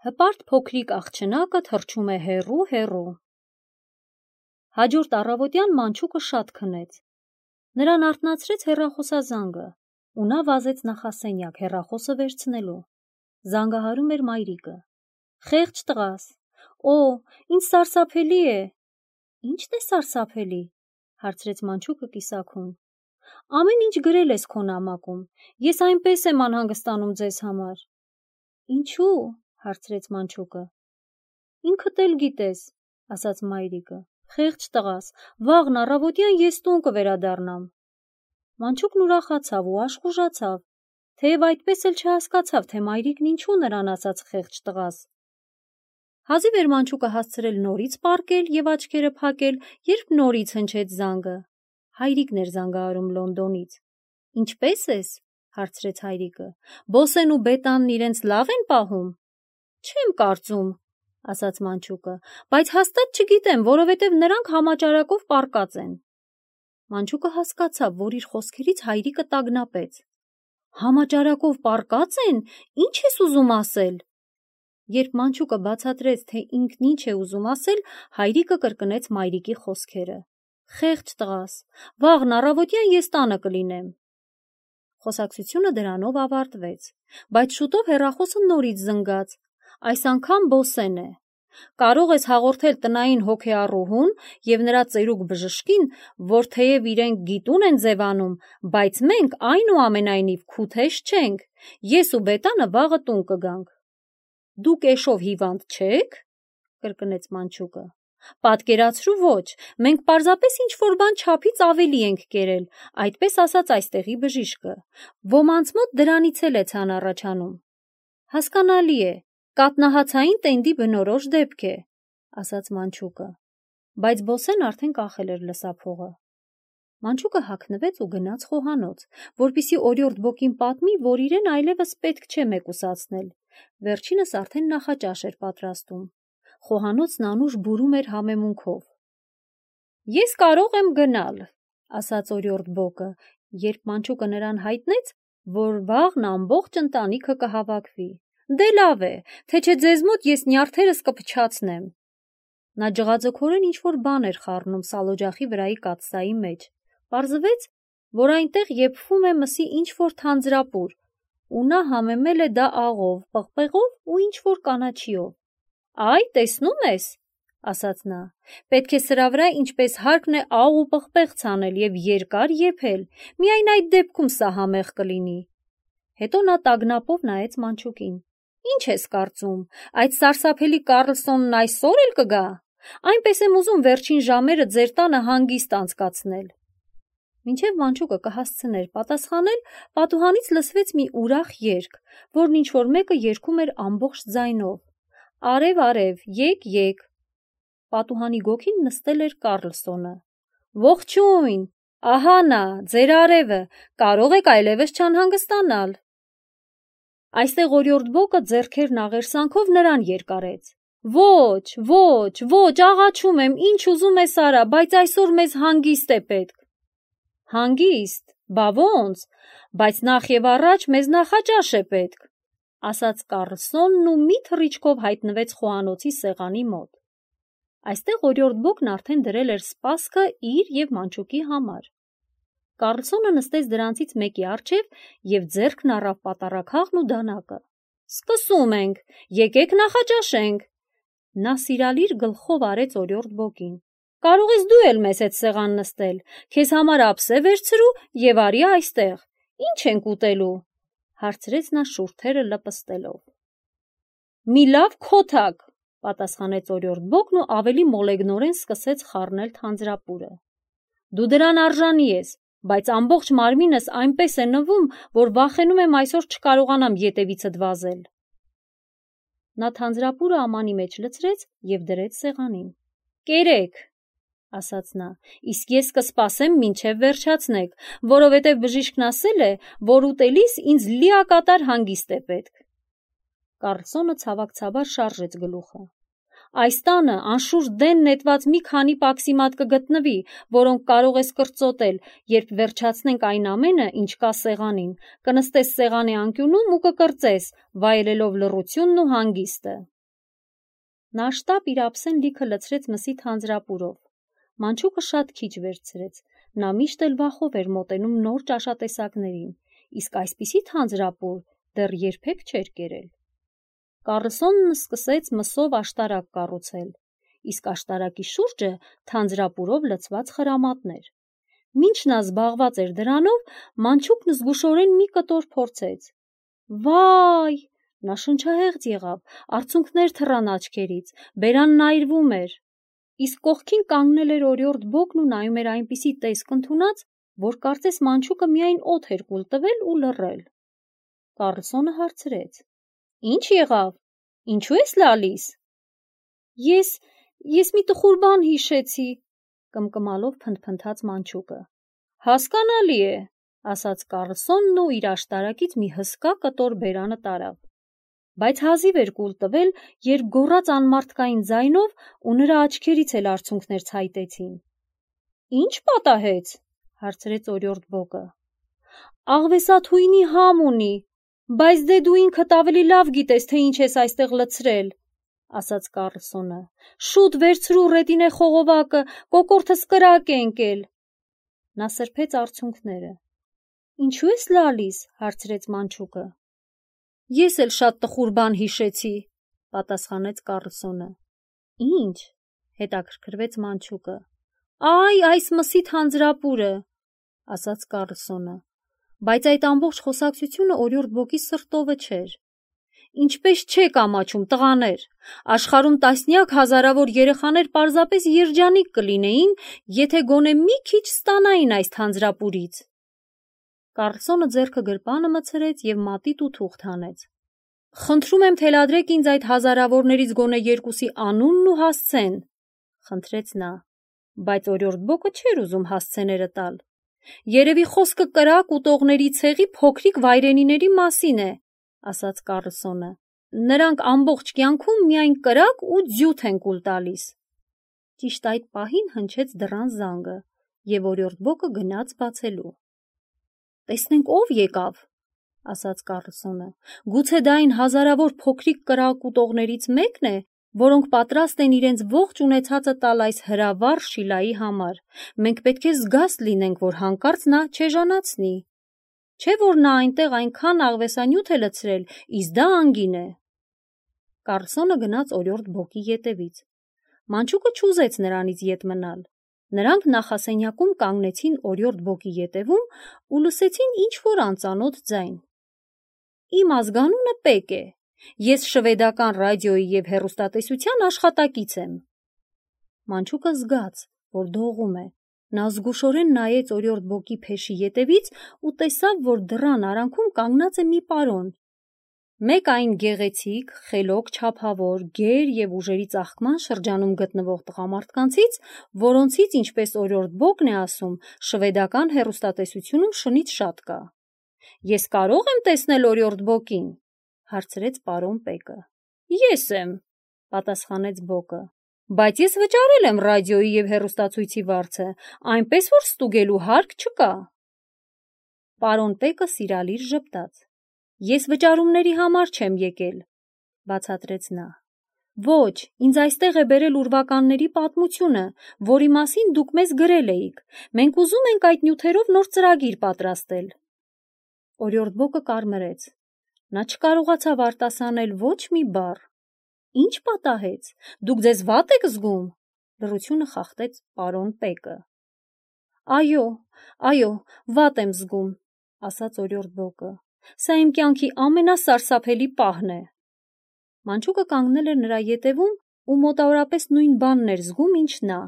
Հպարտ փոքրիկ աղջնակը թռչում է հեռու։ Հաջորդ առավոտյան մանչուկը շատ քնեց։ Նրան արթնացրեց հեռախոսազանգը, ու նա վազեց նախասենյակ հեռախոսը վերցնելու։ Զանգահարում էր մայրիկը։ Խեղճ տղաս, ինչ սարսափելի է։ Ի՞նչն է սարսափելի, հարցրեց մանչուկը կիսաքուն։ Ամեն ինչ գրել ես քո նամակում, ես այնպես եմ անհանգստանում ձեզ համար։ Ինչու՞, հարցրեց մանչուկը։ Ինքդ էլ գիտես, ասաց մայրիկը։ Խեղճ տղաս, վաղն առավոտյան ես տուն կվերադառնամ։ Մանչուկն ուրախացավ ու աշխուժացավ, թեև այդպես էլ չհասկացավ, թե մայրիկն ինչու նրան ասաց խեղճ տղաս։ Հազիվ էր մանչուկը հասցրել նորից պառկել և աչքերը փակել, երբ նորից հնչեց զանգը։ Հայրիկն էր զանգահարում Լոնդոնից։ Ինչպե՞ս ես, հարցրեց հայրիկը։ Բոսեն ու Բետանն իրենց լավ են պահում։ Չեմ կարծում, ասաց մանչուկը, բայց հաստատ չգիտեմ, որովհետև նրանք համաճարակով պառկած են։ Մանչուկը հասկացավ, որ իր խոսքերից հայրիկը տագնապեց։ Համաճարակով պառկած են, ի՞նչ ես ուզում ասել։ Երբ մանչուկը բացատրեց, թե ինքն ինչ է ուզում ասել, հայրիկը կրկնեց մայրիկի խոսքերը։ Խեղճ տղաս, վաղն առավոտյան ես տանը կլինեմ։ Խոսակցությունը դրանով ավարտվեց, բայց շուտով հեռախոսը նորից զնգաց։ Այս անգամ Բոսեն է։ Կարող ես հաղորդել տնային հոգեառուհուն և նրա ծերուկ բժշկին, որ թեև իրենք գիտուն են ձևանում, բայց մենք այնուամենայնիվ քութեշ չենք, ես ու Բետանը վաղը տուն կգանք։ Դուք էշով հիվանդ չե՞ք, կրկնեց մանչուկը։ Պատկերացրու ոչ, մենք պարզապես ինչ-որ բան չափից ավելի ենք կերել, այդպես ասաց այստեղի բժիշկը։ Ոմանց մոտ դրանից էլ է ցան առաջանում։ Հասկանալի է, կաթնահացային տենդի բնորոշ դեպք է, ասաց մանչուկը, բայց Բոսեն արդեն կախել էր լսափողը։ Մանչուկը հագնվեց ու գնաց խոհանոց, որպեսզի օրիորդ Բոկին պատմի, որ իրեն այլևս պետք չէ մեկուսացնել։ Վերջինս արդեն նախաճաշ էր պատրաստում։ Խոհանոցն անուշ բուրում էր համեմունքով։ Ես կարող եմ գնալ, ասաց օրիորդ Բոկը, երբ մանչուկը նրան հայտնեց, որ վաղն ամբողջ ընտանիքը կհավաքվի։ Դե լավ է, թե չէ ձեզ մոտ ես նյարդերս կփչացնեմ։ Նա ջղաձգորեն ինչ-որ բան էր խառնում սալօջախի վրայի կաթսայի մեջ։ Պարզվեց, որ այնտեղ եփվում է մսի ինչ-որ թանձրապուր, ու նա համեմել է դա աղով, պղպեղով ու ինչ-որ կանաչիով։ Այ, տեսնում ես, ասաց նա, պետք է սրա վրա ինչպես հարկն է աղ ու պղպեղ ցանել և երկար եփել, միայն այդ դեպքում սա համեղ կլինի։ Հետո նա տագնապով նայեց մանչուկին։ Ինչ ես կարծում, այդ սարսափելի Կառլսոնն այսօր էլ կգա։ Այնպես եմ ուզում վերջին ժամերը ձեր տանը հանգիստ անցկացնել։ Մինչև մանչուկը կհասցներ պատասխանել, պատուհանից լսվեց մի ուրախ երգ, որն ինչ-որ մեկը երգում էր ամբողջ ձայնով։ Արև, արև, եկ։ Պատուհանի գոգին նստել էր Կառլսոնը։ Ողջույն, ահա նա, ձեր արևը, կարող եք այլևս չանհանգստանալ։ Այստեղ օրիորդ Բոկը ձեռքերն աղերսանքով նրան երկարեց։ Ոչ, աղաչում եմ, ինչ ուզում ես արա, բայց այսօր մեզ հանգիստ է պետք։ Հանգիստ, բա ոնց, բայց նախ և առաջ մեզ նախաճաշ է պետք, ասաց Կառլսոնն ու մի թռիչքով հայտնվեց խոհանոցի սեղանի մոտ։ Այստեղ օրիորդ Բոկն արդեն դրել էր սպասքը իր և մանչուկի համար։ Կառլսոնը նստեց դրանցից մեկի առջև և ձեռքն առավ պատառաքաղն ու դանակը։ Սկսում ենք, եկեք նախաճաշենք։ Նա սիրալիր գլխով արեց օրիորդ Բոկին։ Կարող ես դու էլ մեզ հետ սեղան նստել, քեզ համար ափսե վերցրու և արի այստեղ։ Ինչ ենք ուտելու, հարցրեց նա շուրթերը լպստելով։ Մի լավ քոթակ, պատասխանեց օրիորդ Բոկն ու ավելի մոլեգնորեն սկսեց խառնել թանձրապուրը։ Դու դրան արժանի ես, բայց ամբողջ մարմինս այնպես է նվում, որ վախենում եմ այսօր չկարողանամ ետևիցդ վազել։ Նա թանձրապուրը ամանի մեջ լցրեց և դրեց սեղանին։ Կերեք, ասաց նա, իսկ ես կսպասեմ մինչև վերջացնեք, որովհետև բժիշկն ասել է, որ ուտելիս ինձ լիակատար հանգիստ է պետք։ Կառլսոնը ցավակցաբար շարժեց գլուխը։ Այս տանը անշուշտ դեն նետված մի քանի պաքսիմատ կգտնվի, որոնք կարող ես կրծոտել, երբ վերջացնենք այն ամենը, ինչ կա սեղանին, կնստես սեղանի անկյունում ու կկրծես, վայելելով լռությունն ու հանգիստը։ Նա շտապ իր ափսեն լիքը լցրեց մսի թանձրապուրով։ Մանչուկը շատ քիչ վերցրեց, նա միշտ էլ վախով էր մոտենում նոր ճաշատեսակներին, իսկ այսպիսի թանձրապուր դեռ երբեք չէր կերել։ Կառլսոնն սկսեց մսով աշտարակ կառուցել, իսկ աշտարակի շուրջը թանձրապուրով լցված խրամատներ։ Մինչ նա զբաղված էր դրանով, Մանչուկն զգուշորեն մի կտոր փորձեց։ Վայ! Նա շնչահեղձ եղավ, արցունքներ թռան աչքերից, բերանն այրվում էր։ Իսկ կողքին կանգնել էր օրիորդ Բոկն ու նայում էր այնպիսի տեսք ընդունած, որ կարծես Մանչուկը միայն օդ էր կուլ տվել ու լռել։ Կառլսոնը հարցրեց. Ինչ եղավ։ Ինչու ես լալիս։ Ես մի տխուր բան հիշեցի, կմկմալով փնթփնթաց Մանչուկը։ Հասկանալի է, ասաց Կառլսոնն ու իր աշտարակից մի հսկա կտոր բերանը տարավ։ Բայց հազիվ էր կուլ տվել, երբ գոռաց անմարդկային ձայնով ու նրա աչքերից էլ արցունքներ ցայտեցին։ Ինչ պատահեց, հարցրեց օրիորդ Բոկը։ Աղվեսաթույնի համ ունի, բայց դե դու ինքդ ավելի լավ գիտես, թե ինչ ես այստեղ լցրել, ասաց Կառլսոնը։ Շուտ վերցրու ռետինե խողովակը, կոկորդս կրակ է ընկել։ Նա սրբեց արցունքները։ Ինչու ես լալիս, հարցրեց Մանչուկը։ Ես էլ շատ տխուր բան հիշեցի, պատասխանեց Կառլսոնը։ Ինչ, հետաքրքրվեց Մանչուկը։ Այս մսի թանձրապուրը, ասաց Կառլսոնը, բայց այդ ամբողջ խոսակցությունը օրիորդ Բոկի սրտովը չէր։ Ինչպես չեք ամաչում, տղաներ, աշխարհում տասնյակ հազարավոր երեխաներ պարզապես երջանիկ կլինեին, եթե գոնե մի քիչ ստանային այս թանձրապուրից։ Կառլսոնը ձեռքը գրպանը մցրեց և մատիտ ու թուղթ հանեց։ Խնդրում եմ թելադրեք ինձ այդ հազարավորներից գոնե երկուսի անունն ու հասցեն, խնդրեց նա, բայց օրիորդ Բոկը չէր ուզում հասցեները տալ։ Երևի խոսքը կրակ ուտողների ցեղի փոքրիկ վայրենիների մասին է, ասաց Կառլսոնը։ Նրանք ամբողջ կյանքում միայն կրակ ու ձյութ են կուլ տալիս։ Ճիշտ այդ պահին հնչեց դռան զանգը, և օրիորդ Բոկը գնաց բացելու։ Տեսնենք ով եկավ, ասաց Կառլսոնը։ Գուցե դա այն հազարավոր փոքրիկ կրակ ուտողներից մեկն է, որոնք պատրաստ են իրենց ողջ ունեցածը տալ այս հրավառ Շիլայի համար։ Մենք պետք է զգաստ լինենք, որ հանկարծ նա չեժանացնի։ Չէ՞ որ նա այնտեղ այնքան աղվեսանյութ է լցրել, իսկ դա անգին է։ Կառլսոնը գնաց օրիորդ Բոկի ետևից։ Մանչուկը չուզեց նրանից ետ մնալ։ Նրանք նախասենյակում կանգնեցին օրիորդ Բոկի ետևում ու լսեցին ինչ-որ անծանոթ ձայն։ Իմ ազգանունը Պեկ է։ Ես շվեդական ռադիոյի և հեռուստատեսության աշխատակից եմ։ Մանչուկը զգաց, որ դողում է։ Նա զգուշորեն նայեց օրիորդ Բոկի փեշի ետևից ու տեսավ, որ դռան արանքում կանգնած է մի պարոն։ Մեկ այն գեղեցիկ, խելոք չափավոր, գեր և ուժերի ծաղկման շրջանում գտնվող տղամարդկանցից, որոնցից, ինչպես օրիորդ Բոկն է ասում, շվեդական հեռուստատեսությունում շնից շատ կա։ Ես կարո՞ղ եմ տեսնել օրիորդ Բոկին, հարցրեց պարոն Պեկը։ Ես եմ, պատասխանեց Բոկը, բայց ես վճարել եմ ռադիոյի և հեռուստացույցի վարձը, այնպես որ ստուգելու հարկ չկա։ Պարոն Պեկը սիրալիր ժպտաց։ Ես վճարումների համար չեմ եկել, բացատրեց նա։ Ոչ, ինձ այստեղ է բերել ուրվականների պատմությունը, որի մասին դուք մեզ գրել էիք։ Մենք ուզում ենք այդ նյութերով նոր ծրագիր պատրաստել։ Օրիորդ Բոկը կարմրեց։ Նա չկարողացավ արտասանել ոչ մի բառ։ Ինչ պատահեց։ Դուք ձեզ վատ եք զգում, լռությունը խախտեց պարոն Պեկը։ Այո, վատ եմ զգում, ասաց օրիորդ Բոկը։ Սա իմ կյանքի ամենասարսափելի պահն է։ Մանչուկը կանգնել էր նրա ետևում ու մոտավորապես նույն բանն էր զգում, ինչ նա։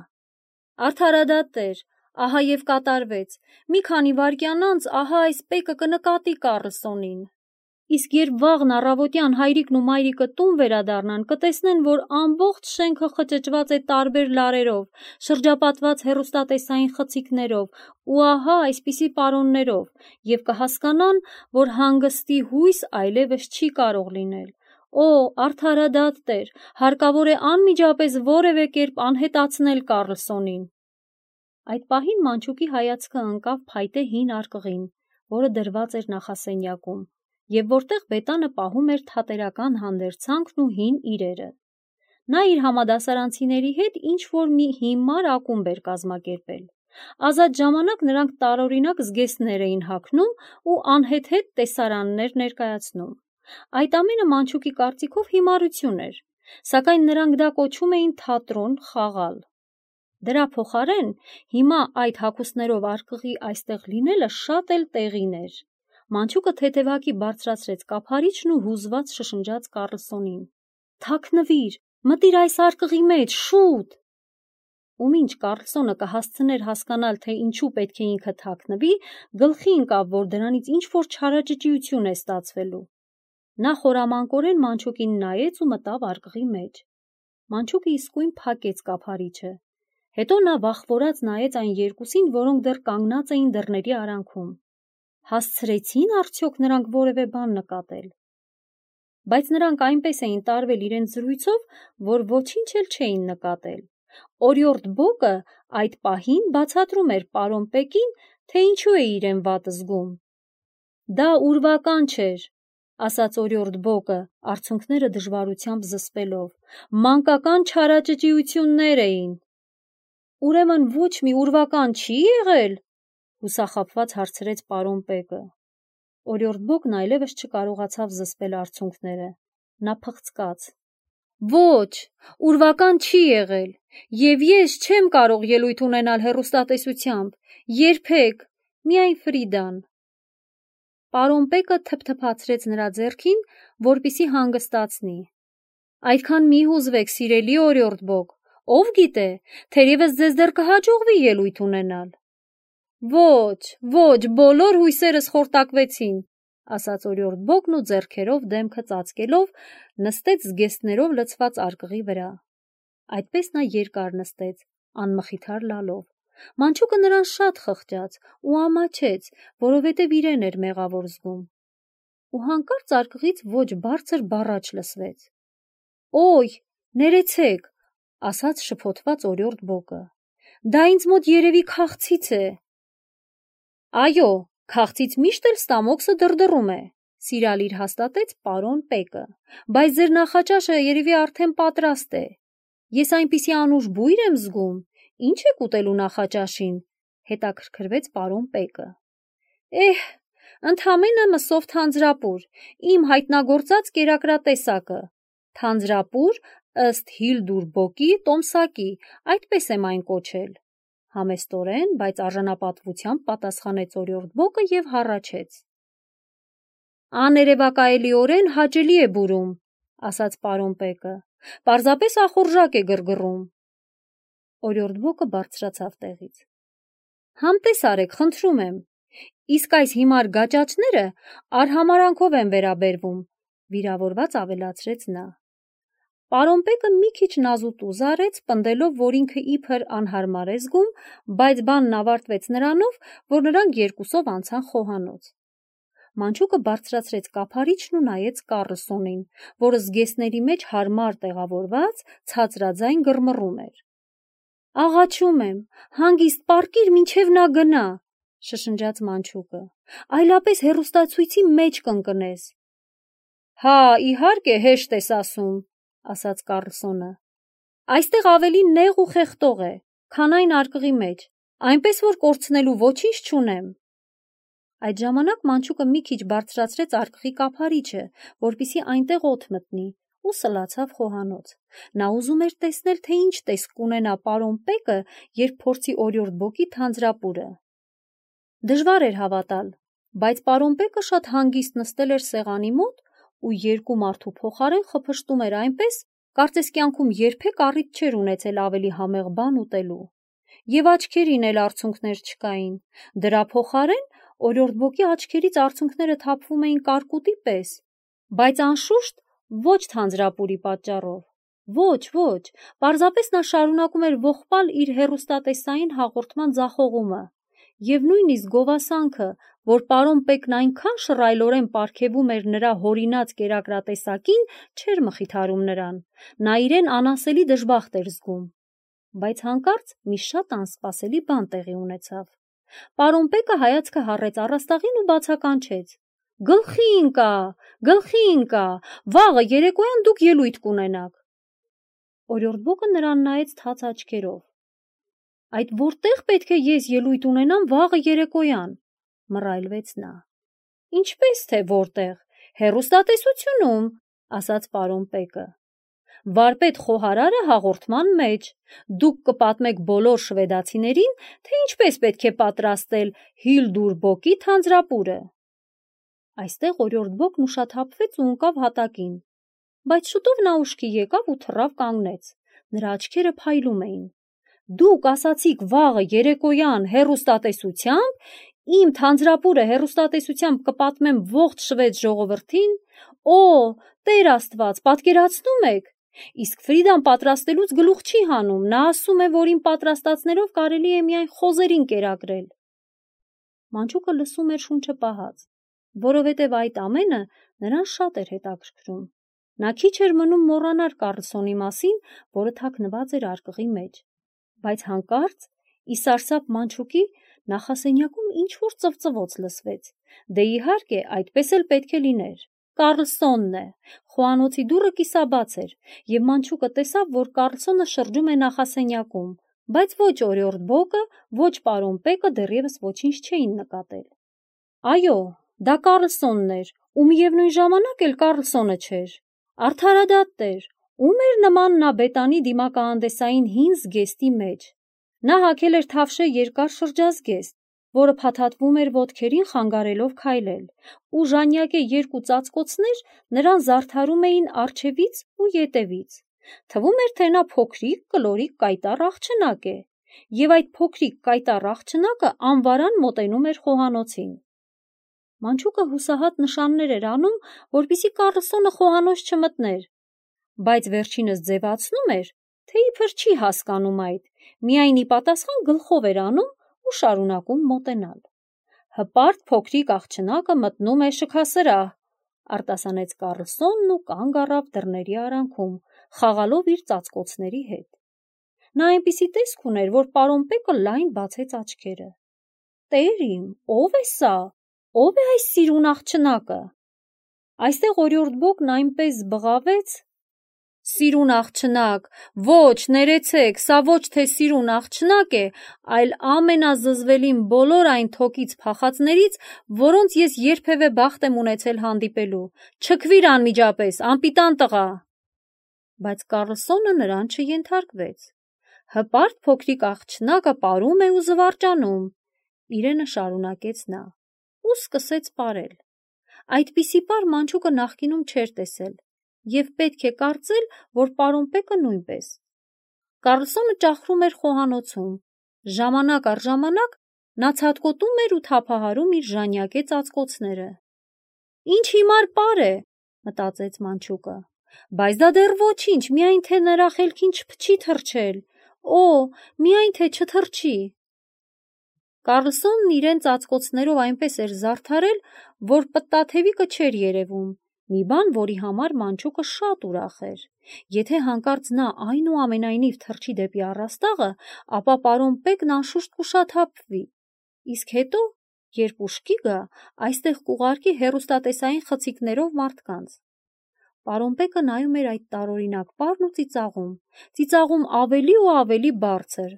Արդարադատ Տեր, ահա և կատարվեց։ Մի քանի վայրկյան անց ահա այս Պեկը կնկատի Կառլսոնին։ Իսկ երբ վաղն առավոտյան հայրիկն ու մայրիկը տուն վերադառնան, կտեսնեն, որ ամբողջ շենքը խճճված է տարբեր լարերով, շրջապատված հեռուստատեսային խցիկներով ու ահա այսպիսի պարոններով, և կհասկանան, որ հանգստի հույս այլևս չի կարող լինել։ Օ, արդարադատ Տեր, հարկավոր է անմիջապես որևէ կերպ անհետացնել Կառլսոնին։ Այդ պահին Մանչուկի հայացքը ընկավ փայտե հին արկղին, որը դրված էր նախասենյակում, և որտեղ բետանը պահում էր թատերական հանդերձանքն ու հին իրերը։ Նա իր համադասարանցիների հետ ինչ-որ մի հիմար ակումբ էր կազմակերպել։ Ազատ ժամանակ նրանք տարօրինակ զգեստներ էին հագնում ու անհեթեթ տեսարաններ ներկայացնում։ Այդ ամենը Մանչուկի կարծիքով հիմարություն էր, սակայն նրանք դա կոչում էին թատրոն խաղալ։ Դրա փոխարեն հիմա այդ հագուստներով արկղի այստեղ լինելը շատ էլ տեղին էր։ Մանչուկը թեթևակի բարձրացրեց կափարիչն ու հուզված շշնջաց Կառլսոնին. «Թաքնվիր, մտիր այս արկղի մեջ, շուտ»։ Ու մինչ Կառլսոնը կհասցներ հասկանալ, թե ինչու պետք է ինքը թաքնվի, գլխի ընկավ, որ դրանից ինչ-որ չարաճճիություն է ստացվելու։ Նա խորամանկորեն Մանչուկին նայեց ու մտավ արկղի մեջ։ Մանչուկը իսկույն փակեց կափարիչը։ Հետո նա վախվորած նայեց այն երկուսին, որոնք դեռ կանգնած էին դռների արանքում։ Հասցրեցին արդյոք նրանք որևէ բան նկատել։ Բայց նրանք այնպես էին տարվել իրենց զրույցով, որ ոչինչ էլ չէին նկատել։ Օրիորդ Բոկը այդ պահին բացատրում էր պարոն Պեկին, թե ինչու է իրեն վատ զգում։ «Դա ուրվական չէր», ասաց օրիորդ Բոկը, արցունքները դժվարությամբ զսպելով, «մանկական չարաճճիություններ էին»։ «Ուրեմն ոչ մի ուրվական չի եղել», հուսախաբված հարցրեց պարոն Պեկը։ Օրիորդ Բոկն այլևս չկարողացավ զսպել արցունքները։ Նա փղծկաց. «Ոչ, ուրվական չի եղել, և ես չեմ կարող ելույթ ունենալ հեռուստատեսությամբ, երբեք, միայն Ֆրիդան»։ Պարոն Պեկը թփթփացրեց նրա ձեռքին, որպեսզի հանգստացնի։ «Այդքան մի հուզվեք, սիրելի օրիորդ Բոկ, ով գիտե, թերևս ձեզ դեռ կհաջողվի ելույթ ունենալ»։ Ոչ, բոլոր հույսերս խորտակվեցին, ասաց օրիորդ Բոկն ու ձեռքերով դեմքը ծածկելով նստեց զգեստներով լցված արկղի վրա։ Այդպես նա երկար նստեց, անմխիթար լալով։ Մանչուկը նրան շատ խղճաց ու ամաչեց, որովհետև իրեն էր մեղավոր զգում։ Ու հանկարծ արկղից ոչ բարձր բառաչ լսվեց. «Օй, ներեցեք», ասաց շփոթված օրիորդ Բոկը, «դա ինձ մոտ երևի քաղցից է»։ «Այո, քաղցից միշտ էլ ստամոքսը դրդռում է», սիրալիր հաստատեց պարոն Պեկը, «բայց ձեր նախաճաշը երևի արդեն պատրաստ է։ Ես այնպիսի անուշ բույր եմ զգում, ի՞նչ եք ուտելու նախաճաշին», հետաքրքրվեց պարոն Պեկը։ Ընդամենը մսով թանձրապուր, իմ հայտնագործած կերակրատեսակը, թանձրապուր ըստ Հիլդուր Բոկի տոմսակի, այդպես եմ այն կոչել, համեստորեն, բայց արժանապատվությամբ պատասխանեց օրիորդ Բոկը և հառաչեց։ «Աներևակայելիորեն հաճելի է բուրում», ասաց պարոն Պեկը, «պարզապես ախորժակ է գրգռում»։ Օրիորդ Բոկը բարձրացավ տեղից։ «Համտես արեք, խնդրում եմ, իսկ այս հիմար գաճաճները արհամարհանքով են վերաբերվում», վիրավորված ավելացրեց նա։ Պարոն Պեկը մի քիչ նազուտուզ արեց, պնդելով, որ ինքը իբր անհարմար է զգում, բայց բանն ավարտվեց նրանով, որ նրանք երկուսով անցան խոհանոց։ Մանչուկը բարձրացրեց կափարիչն ու նայեց Կառլսոնին, որը զգեստների մեջ հարմար տեղավորված ցածրաձայն գրմռում էր։ «Աղաչում եմ, հանգիստ պառկիր, մինչև նա գնա», շշնջաց Մանչուկը, «այլապես հեռուստացույցի մեջ կընկնես»։ «Հա, իհարկե, հեշտ ես ասում», ասաց Կառլսոնը։ «Այստեղ ավելի նեղ ու խեղդող է, քան այն արկղի մեջ, այնպես որ կորցնելու ոչինչ չունեմ»։ Այդ ժամանակ Մանչուկը մի քիչ բարձրացրեց արկղի կափարիչը, որպեսզի այնտեղ օդ մտնի, ու սլացավ խոհանոց։ Նա ուզում էր տեսնել, թե ինչ տեսք կունենա պարոն Պեկը, երբ փորձի օրիորդ Բոկի թանձրապուրը։ Դժվար էր հավատալ, բայց պարոն Պեկը շատ հանգիստ նստել էր սեղանի մոտ ու երկու մարդու փոխարեն խփշտում էր այնպես, կարծես կյանքում երբեք առիթ չէր ունեցել ավելի համեղ բան ուտելու։ Եվ աչքերին էլ արցունքներ չկային։ Դրա փոխարեն օրիորդ Բոկի աչքերից արցունքները թափվում էին կարկուտի պես, բայց անշուշտ ոչ թանձրապուրի պատճառով։ Ոչ, պարզապես նա շարունակում էր ողբալ իր հեռուստատեսային հաղորդման ձախողումը, և նույնիսկ գովասանքը, որ պարոն Պեկն այնքան շռայլորեն պարգևում էր նրա հորինած կերակրատեսակին, չէր մխիթարում նրան, նա իրեն անասելի դժբախտ էր զգում։ Բայց հանկարծ մի շատ անսպասելի բան տեղի ունեցավ։ Պարոն Պեկը հայացքը հառեց առաստաղին ու բացականչեց. «Գլխի ընկա, վաղը երեկոյան դուք ելույթ կունենաք»։ Օրիորդբոկը նրան նայեց թաց աչքերով։ Այդ որտեղ պետք է ես ելույթ ունենամ վաղը երեկոյան, մռայլվեց նա։ Ինչպես թե որտեղ, հեռուստատեսությունում, ասաց պարոն Պեկը։ Վարպետ խոհարարը հաղորդման մեջ, դուք կպատմեք բոլոր շվեդացիներին, թե ինչպես պետք է պատրաստել Հիլդուրբոկի թանձրապուրը։ Այստեղ Օրիորդբոկն ուշաթափվեց ու ընկավ հատակին, բայց շուտով նա ուշքի եկավ ու թռավ կանգնեց, նրա աչքերը փայլում էին։ Դուք ասացիք վաղը երեկոյան հեռուստատեսությամբ, իմ թանձրապուրը հեռուստատեսությամբ կպատմեմ ողջ շվեդ ժողովրդին, Տեր Աստված, պատկերացնում եք, իսկ Ֆրիդան պատրաստելուց գլուխ չի հանում, նա ասում է, որ իմ պատրաստածներով կարելի է միայն խոզերին կերակրել։ Մանչուկը լսում էր շունչը պահած, որովհետև այդ ամենը նրան շատ էր հետաքրքրում։ Նա քիչ էր մնում մոռանար Կարլսոնի մասին, որը թաքնված էր արկղի մեջ, բայց հանկարծ ի սարսափ Մանչուկի նախասենյակում ինչ-որ ծվծվոց լսվեց։ Դե իհարկե, այդպես էլ պետք է լիներ։ Կարլսոնն է։ Խոհանոցի դուռը կիսաբաց էր, և Մանչուկը տեսավ, որ Կարլսոնը շրջում է նախասենյակում, բայց ոչ Օրիորդբոկը, ոչ պարոն Պեկը դեռևս ոչինչ չէին նկատել։ Այո, դա Կարլսոնն էր, ու միևնույն ժամանակ էլ Կարլսոնը չէր։ Արդարադատ Տեր, ում էր նման նա բետանի դիմակահանդեսային հին զգեստի մեջ։ Նա հագել էր թավշե երկար շրջազգեստ, որը փաթաթվում էր ոտքերին խանգարելով քայլել, ու ժանյակե երկու ծածկոցներ նրան զարդարում էին առջևից ու ետևից։ Թվում էր, թե նա փոքրիկ, կլորիկ կայտառ աղջնակ է, և այդ փոքրիկ կայտառ աղջնակը անվարան մոտենում էր խոհանոցին։ Մանչուկը հուսահատ նշաններ էր անում, որպեսզի Կարլսոնը խոհանոց չմտներ, բայց վերջինս ձևացնում էր, թե իբր չի հասկանում այդ, միայն ի պատասխան գլխով էր անում ու շարունակում մոտենալ։ Հպարտ փոքրիկ աղջնակը մտնում է շքասրահ, արտասանեց Կարլսոնն ու կանգ առավ դռների արանքում, խաղալով իր ծածկոցների հետ։ Նա այնպիսի տեսք ուներ, որ պարոն Պեկը լայն բացեց աչքերը։ Տեր իմ, ո՞վ է սա, ո՞վ է այս սիրուն աղջնակը։ Այստեղ Օրիորդբոկն այնպես բղավեց. Սիրուն աղջնակ, ոչ, ներեցեք, սա ոչ թե սիրուն աղջնակ է, այլ ամենազզվելին բոլոր այն թոկից փախածներից, որոնց ես երբևէ բախտ եմ ունեցել հանդիպելու։ Չքվիր անմիջապես, անպիտան տղա։ Բայց Կարլսոնը նրան չենթարկվեց։ Հպարտ փոքրիկ աղջնակը պարում է ու զվարճանում, իրենը շարունակեց նա, ու սկսեց պարել։ Այդպիսի պար Մանչուկը նախկինում չէր տեսել, և պետք է կարծել, որ պարոն Պեկը նույնպես։ Կարլսոնը ճախրում էր խոհանոցում, ժամանակ առ ժամանակ նա ցատկոտում էր ու թափահարում իր ժանյակե ծածկոցները։ Ինչ հիմար պար է, մտածեց Մանչուկը, բայց դա դեռ ոչինչ, միայն թե նրա խելքին չփչի թռչել, միայն թե չթռչի։ Կարլսոնն իրեն ծածկոցներով այնպես էր զարդարել, որ պտտաթևիկը չէր երևում, մի բան, որի համար Մանչուկը շատ ուրախ էր։ Եթե հանկարծ նա այնուամենայնիվ թռչի դեպի առաստաղը, ապա պարոն Պեկն անշուշտ կուշաթափվի, իսկ հետո, երբ ուշքի գա, այստեղ կուղարկի հեռուստատեսային խցիկներով մարդկանց։ Պարոն Պեկը նայում էր այդ տարօրինակ պարն ու ծիծաղում ավելի ու ավելի բարձր։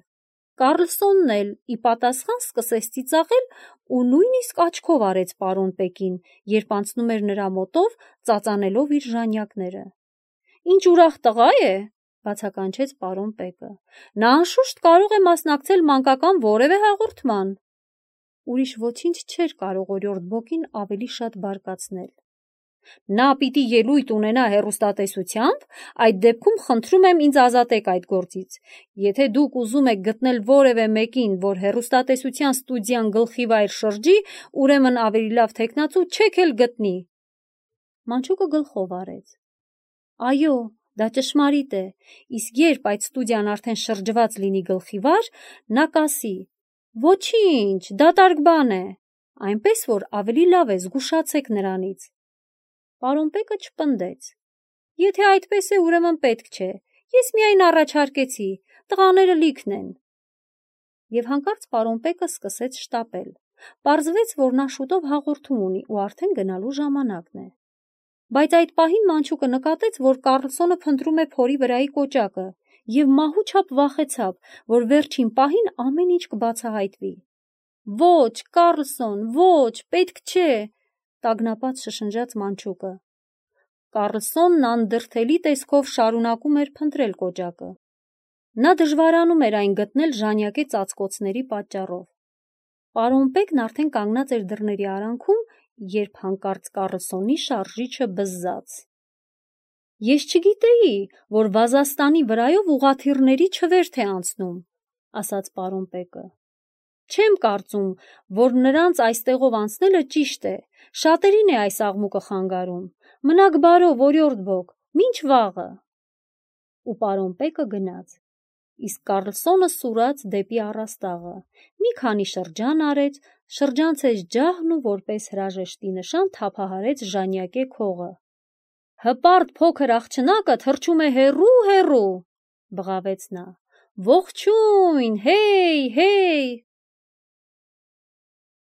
Կարլսոնն էլ ի պատասխան սկսեց ծիծաղել ու նույնիսկ աչքով արեց պարոն Պեկին, երբ անցնում էր նրա մոտով, ծածանելով իր ժանյակները։ Ինչ ուրախ տղա է, բացականչեց պարոն Պեկը։ Նա անշուշտ կարող է մասնակցել մանկական որևէ հաղորդման։ Ուրիշ ոչինչ չէր կարող Օրիորդբոկին ավելի շատ բարկացնել։ Նա պիտի ելույթ ունենա հեռուստատեսությամբ, այդ դեպքում խնդրում եմ ինձ ազատեք այդ գործից։ Եթե դուք ուզում եք գտնել որևէ մեկին, որ հեռուստատեսության ստուդիան գլխիվայր շրջի, ուրեմն ավելի լավ թեկնածու չեք էլ գտնի։ Մանչուկը գլխով արեց։ Այո, դա ճշմարիտ է, իսկ երբ այդ ստուդիան արդեն շրջված լինի գլխիվար, նա կասի. Ոչինչ, դատարկ բան է, այնպես որ ավելի լավ է զգուշացեք նրանից։ Պարոն Պեկը չպնդեց։ Եթե այդպես է, ուրեմն պետք չէ, ես միայն առաջարկեցի, տղաները լիքն են։ Եվ հանկարծ պարոն Պեկը սկսեց շտապել։ Պարզվեց, որ նա շուտով հաղորդում ունի ու արդեն գնալու ժամանակն է։ Բայց այդ պահին Մանչուկը նկատեց, որ Կարլսոնը փնտրում է փորի վրայի կոճակը և մահու չափ վախեցավ, որ վերջին պահին ամեն ինչ կբացահայտվի։ «Ոչ, Կառլսոն, ոչ, պետք չէ», տագնապած շշնջաց մանչուկը։ Կառլսոնն անդրդելի տեսքով շարունակում էր փնտրել կոճակը։ Նա դժվարանում էր այն գտնել ժանյակե ծածկոցների պատճառով։ Պարոն Պեկն արդեն կանգնած էր դռների արանքում, երբ հանկարծ Կառլսոնի շարժիչը բզզաց։ «Ես չգիտեի, որ վազաստանի վրայով ուղղաթիռների չվերթ է անցնում», ասաց պարոն Պեկը։ «Չեմ կարծում, որ նրանց այստեղով անցնելը ճիշտ է, շատերին է այս աղմուկը խանգարում։ Մնաք բարով, օրիորդ Բոկ, մինչ վաղը»։ Ու պարոն Պեկը գնաց։ Իսկ Կառլսոնը սուրաց դեպի առաստաղը, մի քանի շրջան արեց, շրջանցեց ջահն ու որպես հրաժեշտի նշան թափահարեց ժանյակե քողը։ «Հպարտ փոքր աղջնակը թռչում է հեռու, բղավեց նա։ «Ողջույն, հեյ, հեյ»։